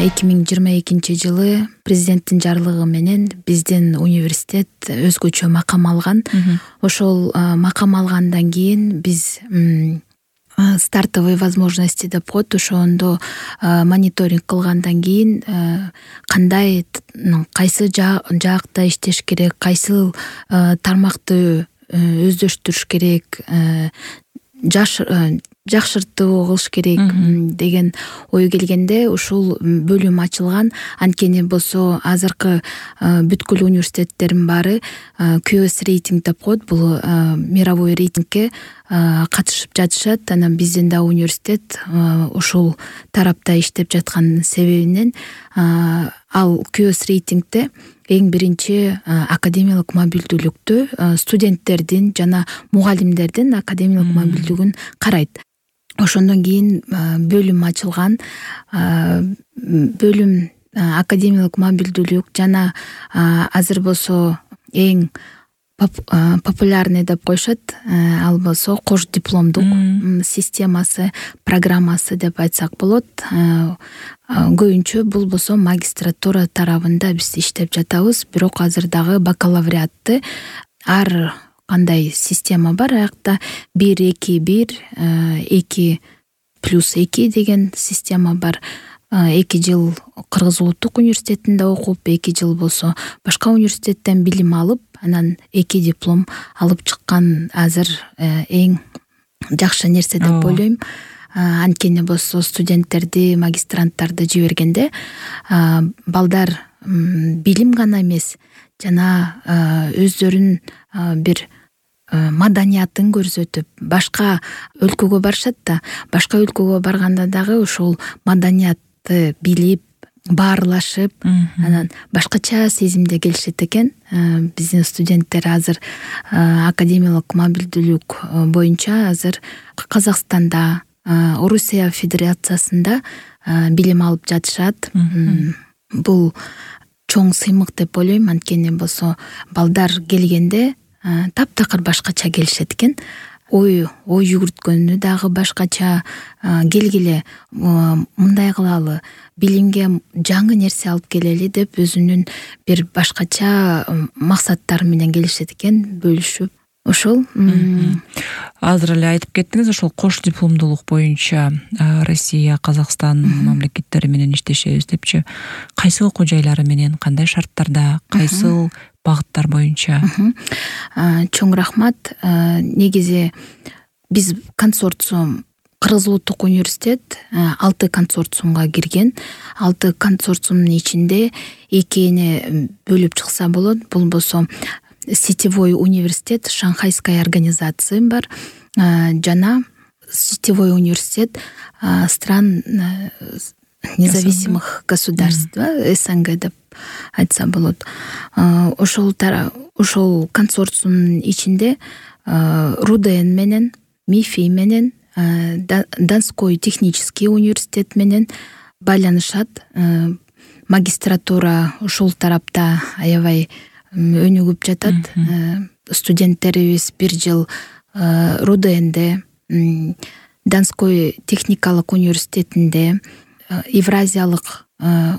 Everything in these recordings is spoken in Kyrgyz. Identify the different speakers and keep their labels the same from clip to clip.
Speaker 1: 2022 президенттин жарлыгы менен биздин университет өзгөчө макам алган. Ошол макам алгандан кийин биз стартовые возможности деп коет, ошондо мониторинг кылгандан кийин кайсы жаакта иштеш керек, кайсы тармакты өздөштүрүш керек, жакшыртуу кылыш керек деген ой келгенде ушул бөлүм ачылган. Анткени болсо азыркы бүткүл университеттердин баары QS рейтинг деп коет, бул мировой рейтингке катышып жатышат. Анан биздин да университет ушул тарапта иштеп жаткан себебинен ал QS рейтингде эң биринчи академиялык мобилдүүлүктү, студенттердин жана мугалимдердин академиялык мобилдүүлүгүн карайт. Ошондон кийин бөлүм ачылган. Бөлүм академиялык мобилдүүлүк жана азыр болсо эң популярный деп коюшат, ал болсо кош дипломдук системасы, программасы деп айтсак болот. Көбүнчө бул болсо магистратура тарабында биз иштеп жатабыз, бирок азыр дагы бакалавриатты ар кандай система бар. Аякта 1-2-1, 2+2 деген система бар. 2 жыл Кыргыз улуттук университетинде окуп, 2 жыл болсо башка университеттен билим алып, анан 2 диплом алып чыккан азыр эң жакшы нерсе деп ойлойм. Анткени болсо студенттерди, магистранттарды жибергенде балдар билим гана эмес, жана өздөрүн бир маданиятын көрсөтүп, башка өлкөгө барышат да, башка өлкөгө барганда дагы ушул маданиятты билип, баарлашып, анан башкача сезимде келишет экен. Биздин студенттер азыр академиялык мобилдүүлүк боюнча азыр Казакстанда, Орусия Федерациясында билим алып жатышат. Бул чоң сыймык деп ойлойм, анткени болсо балдар келгенде таптакыр башкача келишет экен. Ой жүгүрткөнү дагы башкача. Келгиле, мындай кылалы, билимге жаңы нерсе алып келели деп өзүнүн бир башкача максаттары менен келишет экен, бөлүшүп. Ошол
Speaker 2: азыр эле айтып кеттиңиз, ошол кош дипломдуулук боюнча Россия, Казакстан мамлекеттери менен иштешебиз депчи. Кайсы окуу жайлары менен, кандай шарттарда, кайсы багыттар боюнча?
Speaker 1: Чоң рахмат. Негизи биз консорциум, Кыргыз улуттук университет 6 консорциумга кирген. 6 консорциумдун ичинде экини бөлүп чыкса болот. Бул болсо сетевой университет, шанхайская организация бар, жана сетевой университет стран независимых государств, СНГ деп айтса болот. Ошол консорциумдун ичинде РУДН менен, МИФИ менен, Донской технический университет менен байланышат. Магистратура ушул тарапта аябай өнүгүп жатат. Студенттерибиз 1 жыл РУДНде, Донской техникалык университетинде, Евразиялык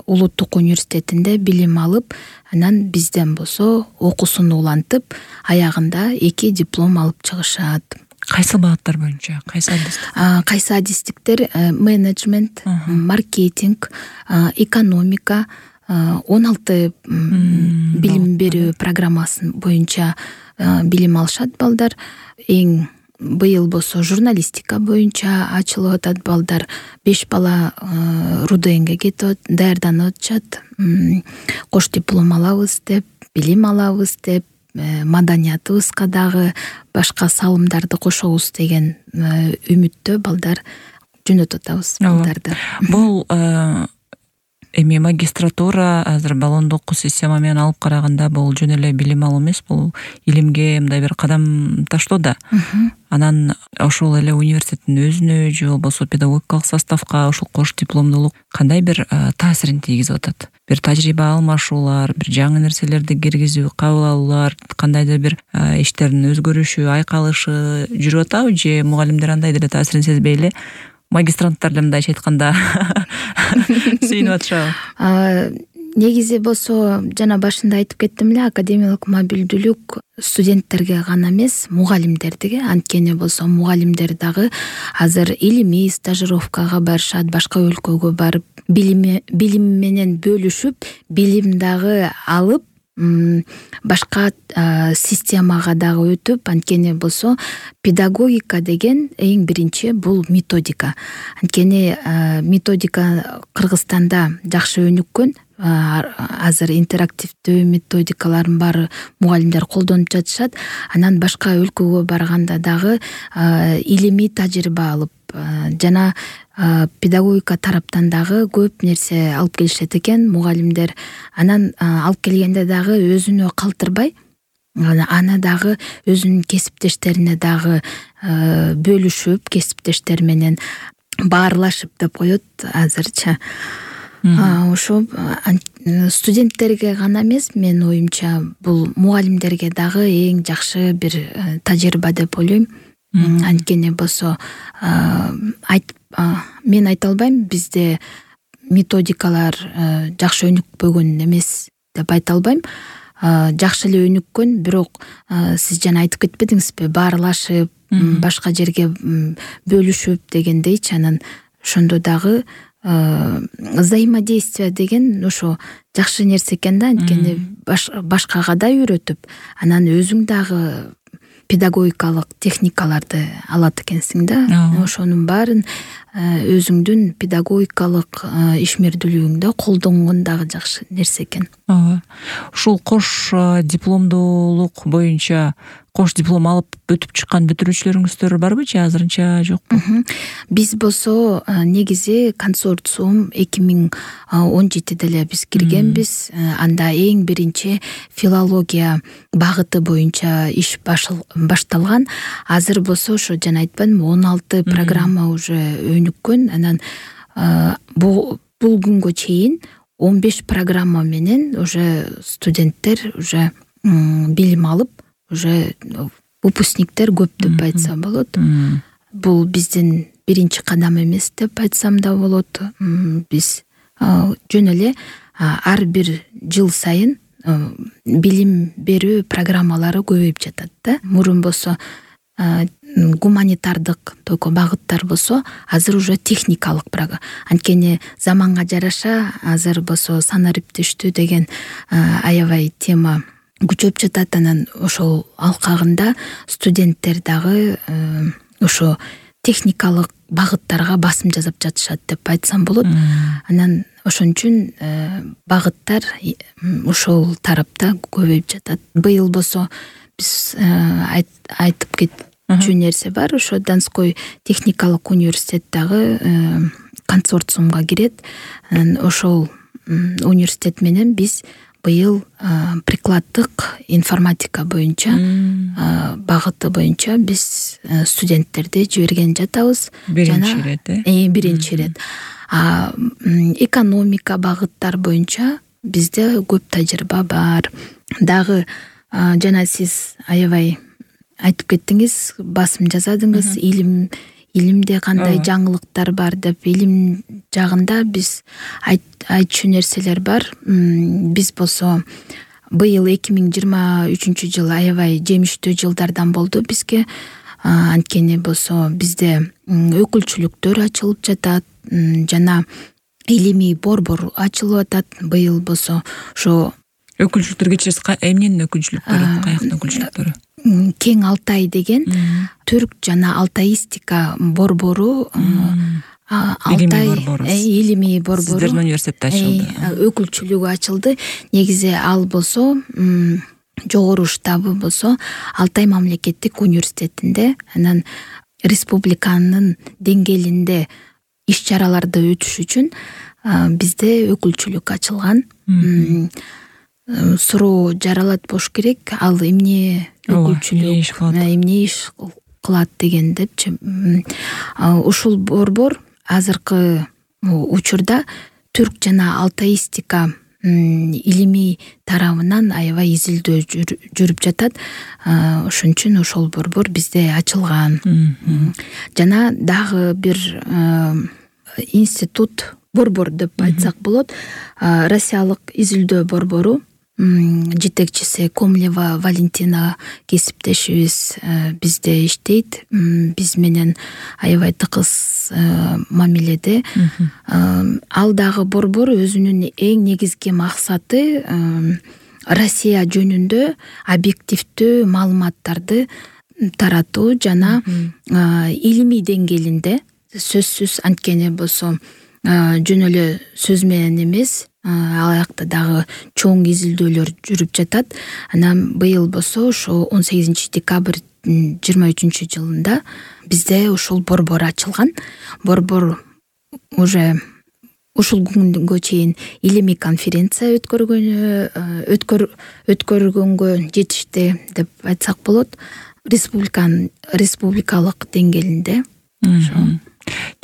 Speaker 1: улуттук университетинде билим алып, анан бизден болсо окуусун улантып, аягында 2 диплом алып чыгышат.
Speaker 2: Кайсы багыттар боюнча?
Speaker 1: Кайсы адистиктер? Менеджмент, маркетинг, экономика, 16 билим берүү программасы боюнча билим алышат балдар. Эң быйыл болсо журналистика боюнча ачылып атат балдар. 5 бала РУДНге кетип даярданып атышат. Кош диплом алабыз деп, билим алабыз деп, маданиятыбызга дагы башка салымдарды кошобуз деген үмүттө балдар жөнөтүп атабыз балдарды.
Speaker 2: Бул эми магистратура азыр баллондук система менен алып караганда бул жөн эле билим алуу эмес, бул илимге мындай бир кадам таштоо да. Анан ошол эле университеттин өзүнө же болбосо педагогикалык составка ошол кош дипломдуулук кандай бир таасирин тийгизип атат? Бир тажрыйба алмашуулар, бир жаңы нерселерди киргизүү, кабыл алуулар, кандайдыр бир иштердин өзгөрүшү, айкалышы жүрүп атабы же мугалимдер андай деле таасирин сезбей эле магистранттар эле мындайча айтканда сүйүнүп атышабы?
Speaker 1: Негизи болсо жана башында айтып кеттим эле, академиялык мобилдүүлүк студенттерге гана эмес, мугалимдерге. Анткени болсо мугалимдер дагы азыр илимий стажировкага барышат, башка өлкөгө барып, билим менен бөлүшүп, билим дагы алып, башка системага дагы өтүп. Анткени болсо педагогика деген эң биринчи бул методика. Анткени методика Кыргызстанда жакшы өнүккөн. Азыр интерактивдүү методикалардын баары мугалимдер колдонуп жатышат. Анан башка өлкөгө барганда дагы илимий тажрыйба алып, жана педагогика тараптан дагы көп нерсе алып келишет экен мугалимдер. Анан алып келгенде дагы өзүнө калтырбай, аны дагы өзүнүн кесиптештерине дагы бөлүшүп, кесиптештер менен баарлашып деп коет азырчы. Ошо студенттерге гана эмес, менин оюмча бул мугалимдерге дагы эң жакшы бир тажрыйба деп ойлойм. Анткени болсо мен айта албайм, бизде методикалар жакшы өнүкпөгөн эмес деп айта албайм. Жакшы эле өнүккөн, бирок сиз жана айтып кетпедиңизби, баарлашып, башка жерге бөлүшүп дегендейчи. Анан ошондо дагы взаимодействие деген ошо жакшы нерсе экен да. Анткени башкага да үйрөтүп, анан өзүң дагы педагогикалык техникаларды алат экенсиң да. Ошонун баарын өзүңдүн педагогикалык ишмердүүлүгүңдө колдонгон дагы жакшы нерсе экен.
Speaker 2: Ушул кош дипломдуулук боюнча кош диплом алып өтүп чыккан бүтүрүүчүлөрүңүздөр барбы же азырынча жокпу?
Speaker 1: Биз болсо негизи консорциум 2017 эле биз киргенбиз. Анда эң биринчи филология багыты боюнча иш башталган. Азыр болсо ошо жана айтпадымбы, 16 программа уже өнүккөн. Анан бул күнгө чейин 15 программа менен уже студенттер уже билим алып, уже выпускниктер көп деп айтса болот. Бул биздин биринчи кадам эмес деп айтсам да болот. Биз жөн эле ар бир жыл сайын билим берүү программалары көбөйүп жатат да. Мурун болсо гуманитардык только багыттар болсо, азыр уже техникалык программа. Анткени заманга жараша азыр болсо санариптештүү деген аябай тема күчөп жатат. Анан ошол алкагында студенттер дагы ошо техникалык багыттарга басым жасап жатышат деп айтсам болот. Анан ошон үчүн багыттар ошол тарапта көбөйүп жатат. Быйыл болсо биз айтып кетчү нерсе бар. Ошо Донской техникалык университет дагы консорциумга кирет. Анан ошол университет менен биз быйыл прикладдык информатика боюнча багыты боюнча биз студенттерди жиберген жатабыз. Биринчи ирет. Экономика багыттар боюнча бизде көп тажрыйба бар. Дагы жана сиз аябай айтып кеттиңиз, басым жасадыңыз, илимде кандай жаңылыктар бар деп. Илим жагында биз айтчу нерселер бар. Биз болсо быйыл 2023 жыл аябай жемиштүү жылдардан болду бизге. Анткени болсо бизде өкүлчүлүктөр ачылып жатат, жана илимий борбор ачылып атат. Быйыл болсо ошо
Speaker 2: өкүлчүлүктөр кечиресиз, эмненин өкүлчүлүктөрү, каяктын өкүлчүлүктөрү?
Speaker 1: Кең Алтай деген түрк жана алтаистика борбору, илимий борбору
Speaker 2: сиздердин университетте ачылды.
Speaker 1: Өкүлчүлүгү ачылды. Негизи ал болсо жогору штабы болсо Алтай мамлекеттик университетинде. Анан республиканын деңгээлинде иш чараларды өтүш үчүн бизде өкүлчүлүк ачылган. Суроо жаралат болуш керек, ал эмне өкүлчүлүк, эмне иш кылат деген депчи. Ушул борбор азыркы учурда түрк жана алтаистика илимий тарабынан аябай изилдөө жүрүп жатат. Ошон үчүн ошол борбор бизде ачылган. Жана дагы бир институт, борбор деп айтсак болот. Россиялык изилдөө борбору жетекчиси Комлева Валентина кесиптешибиз бизде иштейт. Биз менен аябай тыкыз мамиледе. Ал дагы борбор өзүнүн эң негизги максаты Россия жөнүндө объективдүү маалыматтарды таратуу жана илимий деңгээлинде, сөзсүз анткени болсо жөн эле сөз менен эмес, ал жакта дагы чоң изилдөөлөр жүрүп жатат. Анан быйыл болсо ошо 18 декабрь 23 жылында бизде ошол борбор ачылган. Борбор уже ушул күнгө чейин илимий конференция өткөргөнгө жетишти деп айтсак болот. Республикалык деңгээлинде.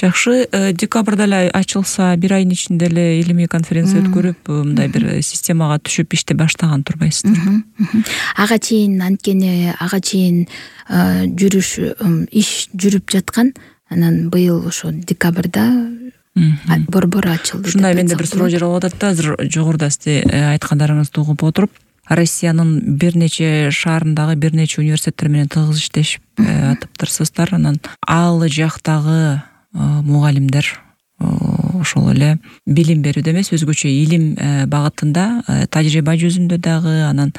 Speaker 2: Жакшы, декабрда эле ачылса, бир айдын ичинде эле илимий конференция өткөрүп, мындай бир системага түшүп иштей баштаган турбайсыздар.
Speaker 1: Ага чейин анткени иш жүрүп жаткан. Анан быйыл ошо декабрда борбор ачылды.
Speaker 2: Ушундай менде бир суроо жаралып атат да, азыр жогоруда сиз айткандарыңызды угуп отуруп, Россиянын бир нече шаарындагы бир нече университеттер менен тыгыз иштешип атыптырсыздар. Анан ал жактагы мугалимдер ошол эле билим берүүдө эмес, өзгөчө илим багытында, тажрыйба жүзүндө дагы, анан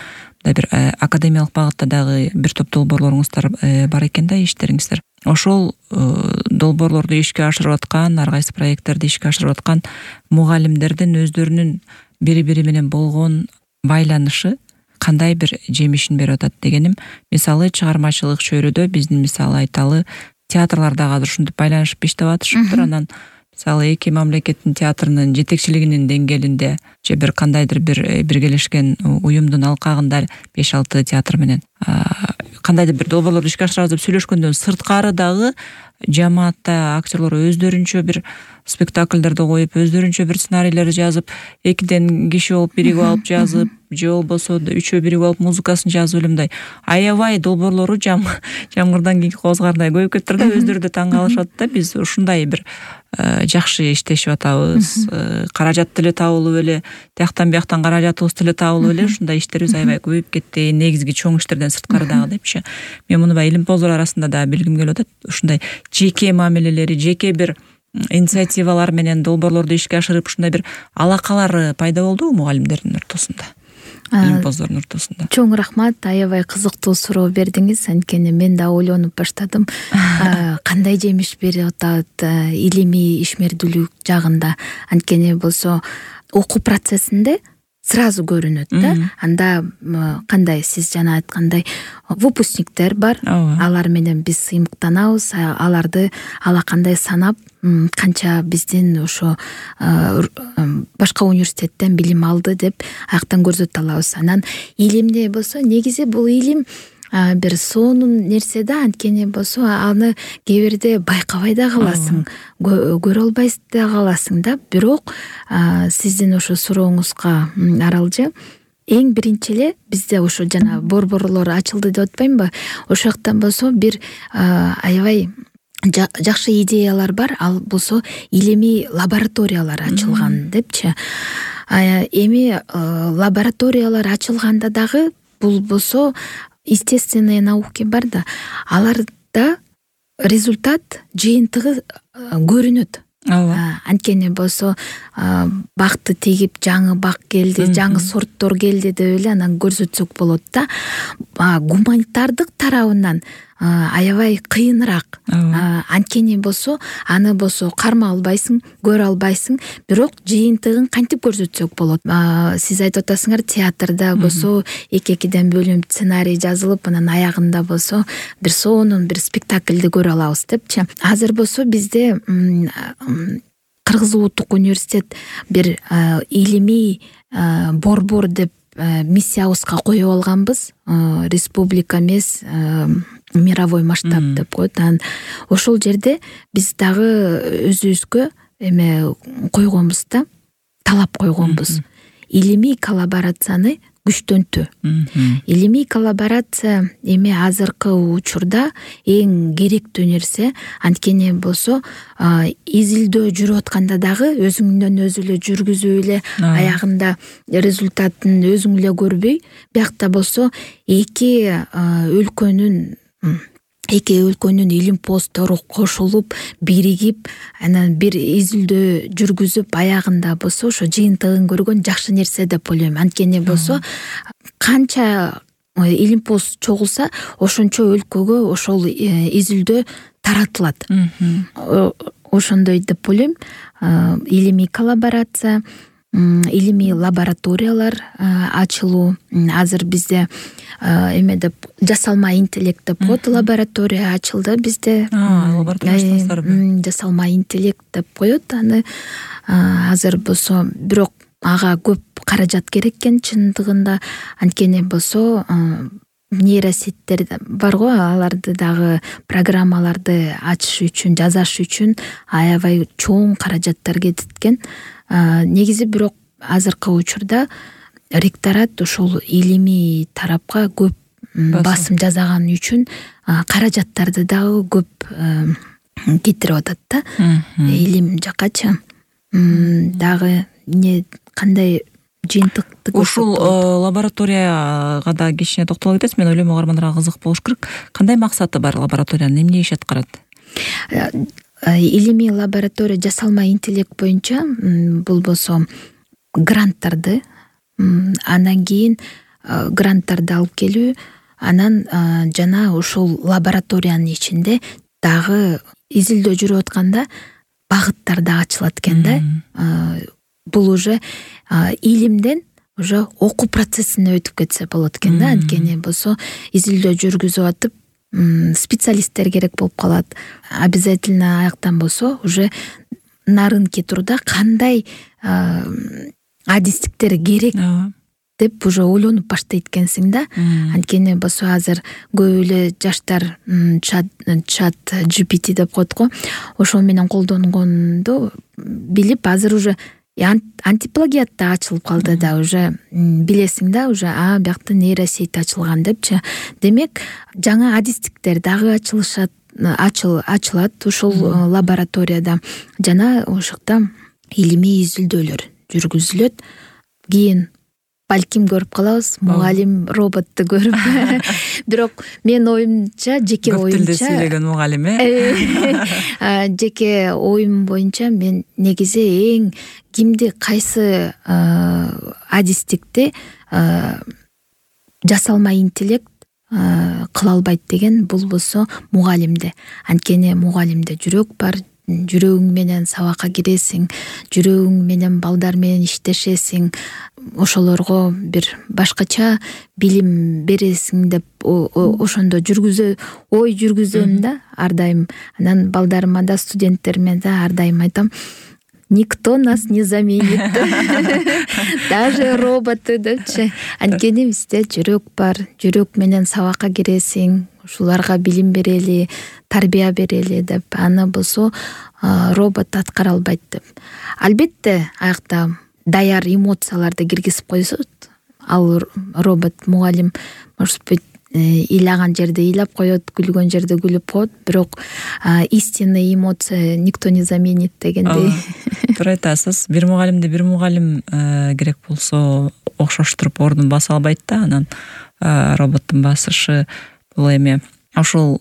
Speaker 2: бир академиялык багытта дагы бир топ долбоорлоруңуздар бар экен да, иштериңиздер. Ошол долбоорлорду ишке ашырып аткан, ар кайсы проекттерди ишке ашырып аткан мугалимдердин өздөрүнүн бири-бири менен болгон байланышы кандай бир жемишин берип атат дегеним. Мисалы, чыгармачылык чөйрөдө биздин мисалы айталы театрлар дагы азыр ушинтип байланышып иштеп атышыптыр. Анан мисалы эки мамлекеттин театрынын жетекчилигинин деңгээлинде же бир кандайдыр бир биргелешкен уюмдун алкагында 5-6 театр менен кандайдыр бир долбоорлорду ишке ашырабыз деп сүйлөшкөндөн сырткары дагы жамаатта актерлор өздөрүнчө бир спектакльдерди коюп, өздөрүнчө бир сценарийлерди жазып, экиден киши болуп биригип алып жазып, же болбосо үчөө биригип алып музыкасын жазып эле мындай аябай долбоорлору жамгырдан кийинки козгардай көбөйүп кетиптир да, өздөрү да таң калышат да. Биз ушундай бир жакшы иштешип атабыз, каражат деле табылып эле, тияктан бияктан каражатыбыз деле табылып эле, ушундай иштерибиз аябай көбөйүп кетти, негизги чоң иштерден сырткары дагы депчи. Мен муну баягы илимпоздор арасында да билгим келип атат. Ушундай жеке мамилелери, жеке бир инициативалар менен долбоорлорду ишке ашырып, ушундай бир алакалары пайда болдубу мугалимдердин ортосунда, илимпоздордун ортосунда?
Speaker 1: Чоң рахмат, аябай кызыктуу суроо бердиңиз. Анткени мен да ойлонуп баштадым, кандай жемиш берип атат илимий ишмердүүлүк жагында. Анткени болсо окуу процессинде сразу көрүнөт да. Анда кандай сиз жана айткандай выпускниктер бар, алар менен биз сыймыктанабыз, аларды алакандай санап, канча биздин ошо башка университеттен билим алды деп аяктан көрсөтө алабыз. Анан илимде болсо негизи бул илим бир сонун нерсе да, анткени болсо аны кээ бирде байкабай да каласың, көрө албай да каласың да. Бирок сиздин ошо сурооңузга аралжы, эң биринчи эле бизде ошо жана борборлор ачылды деп атпаймынбы, ошол жактан болсо бир аябай жакшы идеялар бар. Ал болсо илимий лабораториялар ачылган депчи. Эми лабораториялар ачылганда дагы бул болсо естественные науки бар да, аларда результат жыйынтыгы көрүнөт. Анткени болсо бакты тегип жаңы бак келди, жаңы сорттор келди деп эле анан көрсөтсөк болот да. Гуманитардык тарабынан аябай кыйыныраак. Анткени болсо аны болсо карма албайсың, көрө албайсың, бирок жыйынтыгын кантип көрсөтсөк болот. Сиз айтып атасыңар, театрда болсо эки-экиден бөлүнүп сценарий жазылып, анан аягында болсо бир сонун бир спектакльди көрө алабыз депчи. Азыр болсо бизде Кыргыз Улуттук университет бир илимий борбор деп миссиябызга коюп алганбыз. Республика эмес, мировой масштаб деп коет. Анан ошол жерде биз дагы өзүбүзгө эме койгонбуз да, талап койгонбуз. илимий коллаборацияны күчтөнтүү. Илимий коллаборация эми азыркы учурда эң керектүү нерсе. Анткени болсо изилдөө жүрүп атканда дагы өзүңдөн өзү эле жүргүзүп эле аягында результатын өзүң эле көрбөй, биякта болсо эки өлкөнүн илим посттору кошулуп, биригип, анан бир изилдөө жүргүзүп, аягында болсо ошо жыйынтыгын көргөн жакшы нерсе деп ойлойм. Анткени болсо канча илим пост чогулса, ошончо өлкөгө ошол изилдөө таратылат. Ошондой деп ойлойм. Илимий коллаборация, илимий лабораториялар ачылуу. Азыр бизде эме деп жасалма интеллект деп коет, лаборатория ачылды бизде. Жасалма интеллект деп коет аны. Азыр болсо бирок ага көп каражат керек экен чындыгында. Анткени болсо нейросеттер бар го, аларды дагы программаларды ачыш үчүн, жасаш үчүн аябай чоң каражаттар кетет экен. Негизи бирок азыркы учурда ректорат ошол илимий тарапка көп басым жасаган үчүн каражаттарды дагы көп кетирип атат да. Илим жакачы дагы кандай жыйынтыкты
Speaker 2: ушул лабораторияга да кичине токтоло кетесиз. Мен ойлойм угармандарга кызык болуш керек. Кандай максаты бар лабораториянын, эмне иш аткарат?
Speaker 1: Илимий лаборатория жасалма интеллект боюнча бул болсо гранттарды, андан кийин гранттарды алып келүү, анан жана ушул лабораториянын ичинде дагы изилдөө жүрүп атканда багыттар да ачылат экен да. Бул уже илимден уже окуу процессине өтүп кетсе болот экен да. Анткени болсо изилдөө жүргүзүп атып специалисттер керек болуп калат. Обязательно аяктан болсо уже на рынке турда кандай адистиктер керек деп уже ойлонуп баштайт экенсиң да. Анткени болсо азыр көп эле жаштар чат GPT деп коет го, ошол менен колдонгонду билип, азыр уже антиплагиат да ачылып калды да, уже билесиң да, уже биякта нейросеть ачылган депчи. Демек, жаңа адистиктер дагы ачылат ушул лабораторияда. Жана ошокта илимий изилдөөлөр жүргүзүлөт. Кийин балким көрүп калабыз, мугалим роботту көрүп. Бирок мен оюмча, жеке оюмча, көп тилде
Speaker 2: сүйлөгөн мугалим,
Speaker 1: жеке оюм боюнча мен негизи эң кимди, кайсы адистикти жасалма интеллект кыла албайт деген, бул болсо мугалимде. Анткени мугалимде жүрөк бар, жүрөгүң менен сабакка киресиң, жүрөгүң менен балдар менен иштешесиң, ошолорго бир башкача билим бересиң деп ошондо ой жүргүзөм да ар дайым. Анан балдарыма да, студенттериме да ар дайым айтам: никто нас не заменит. Даже роботы депчи. Анткени бизде жүрөк бар, жүрөк менен сабакка киресиң, ушуларга билим берели, тарбия берели деп. Аны болсо робот аткара албайт деп. Албетте аякта даяр эмоцияларды киргизип койсот, ал робот мугалим может быть ыйлаган жерде ыйлап коет, күлгөн жерде күлүп коет, бирок истинный эмоция никто не заменит дегендей.
Speaker 2: Туура айтасыз. Бир мугалимди бир мугалим керек болсо окшоштуруп ордун баса албайт да, анан роботтун басышы бул эме ошол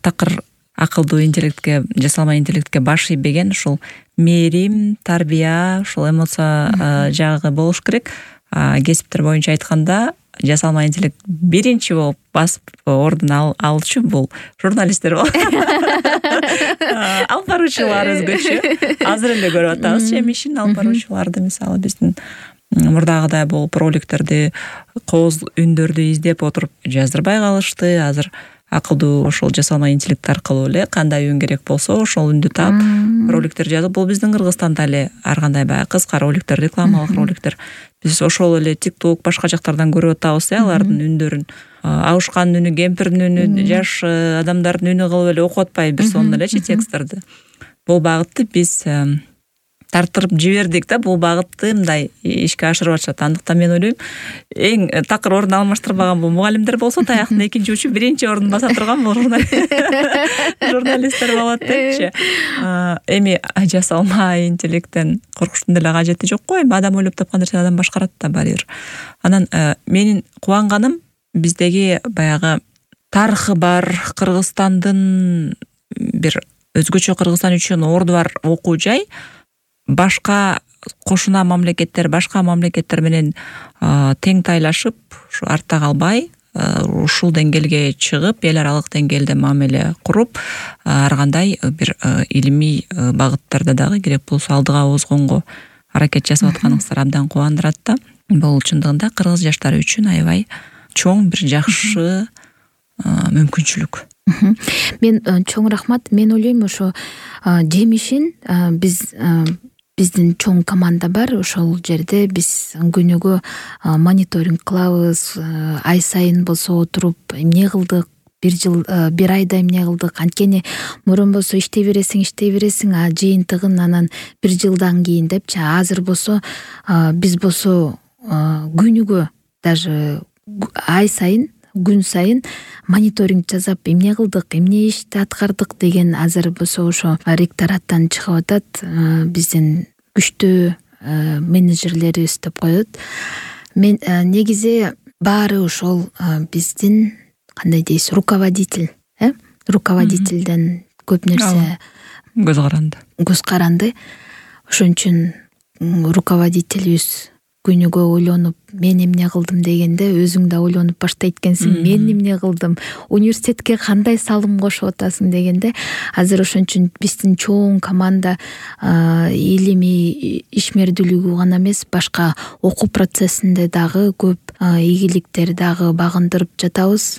Speaker 2: такыр акылдуу интеллектке, жасалма интеллектке баш ийбеген ушул мээрим, тарбия, ушул эмоция жагы болуш керек. Кесиптер боюнча айтканда, жасалма интеллект биринчи болуп басып ордун алчу бул журналисттер болот. Алып баруучулар өзгөчө. Азыр эле көрүп атабыз ишин алып баруучуларды, мисалы биздин мурдагыдай болуп роликтерди, кооз үндөрдү издеп отуруп жаздырбай калышты. Азыр акылдуу ошол жасалма интеллект аркылуу эле кандай үн керек болсо ошол үндү таап роликтер жазып. Бул биздин Кыргызстанда эле ар кандай баягы кыска роликтер, рекламалык роликтер. Биз ошол эле TikTok, башка жактардан көрүп атабыз, алардын үндөрүн. Абышкандын үнү, кемпирдин үнү, жаш адамдардын үнү кылып эле окуп атпайбы бир сонун элечи тексттерди. Бул багытты биз тартырып жибердик да, бул багытты мындай ишке ашырып атышат. Андыктан мен ойлойм, эң такыр орун алмаштырбаган бул мугалимдер болсо, таяктын экинчи учу биринчи ордун баса турган бул журналисттер болот депчи. Эми жасалма интеллекттен коркуштун деле кажети жок го. Эми адам ойлоп тапкан нерсени адам башкарат да баары бир. Анан менин кубанганым, биздеги баягы тарыхы бар Кыргызстандын бир өзгөчө Кыргызстан үчүн орду бар окуу жай башка кошуна мамлекеттер, башка мамлекеттер менен тең тайлашып, ушу артта калбай, ушул деңгээлге чыгып, эл аралык деңгээлде мамиле куруп, ар кандай бир илимий багыттарда дагы керек болсо алдыга озгонго аракет жасап атканыңыздар абдан кубандырат да. Бул чындыгында кыргыз жаштары үчүн аябай чоң бир жакшы мүмкүнчүлүк.
Speaker 1: Мен чоң рахмат. Мен ойлойм, ошо жемишин биздин чоң команда бар. Ошол жерде биз күнүгө мониторинг кылабыз. Ай сайын болсо отуруп эмне кылдык, бир айда эмне кылдык. Анткени мурун болсо иштей бересиң, жыйынтыгын анан бир жылдан кийин депчи. Азыр болсо биз болсо күнүгө, даже ай сайын, күн сайын мониторинг жасап, эмне кылдык, эмне ишти аткардык деген азыр болсо ошо ректораттан чыгып атат. Биздин күчтүү менеджерлерибиз деп коет. Мен негизи баары ошол биздин кандай дейсиз, руководительден көп нерсе көз каранды. Ошон үчүн руководителибиз күнүгө ойлонуп, мен эмне кылдым дегенде, өзүң да ойлонуп баштайт экенсиң, мен эмне кылдым, университетке кандай салым кошуп атасың дегенде, азыр ошон үчүн биздин чоң команда илимий ишмердүүлүгү гана эмес, башка окуу процессинде дагы көп ийгиликтер дагы багындырып жатабыз.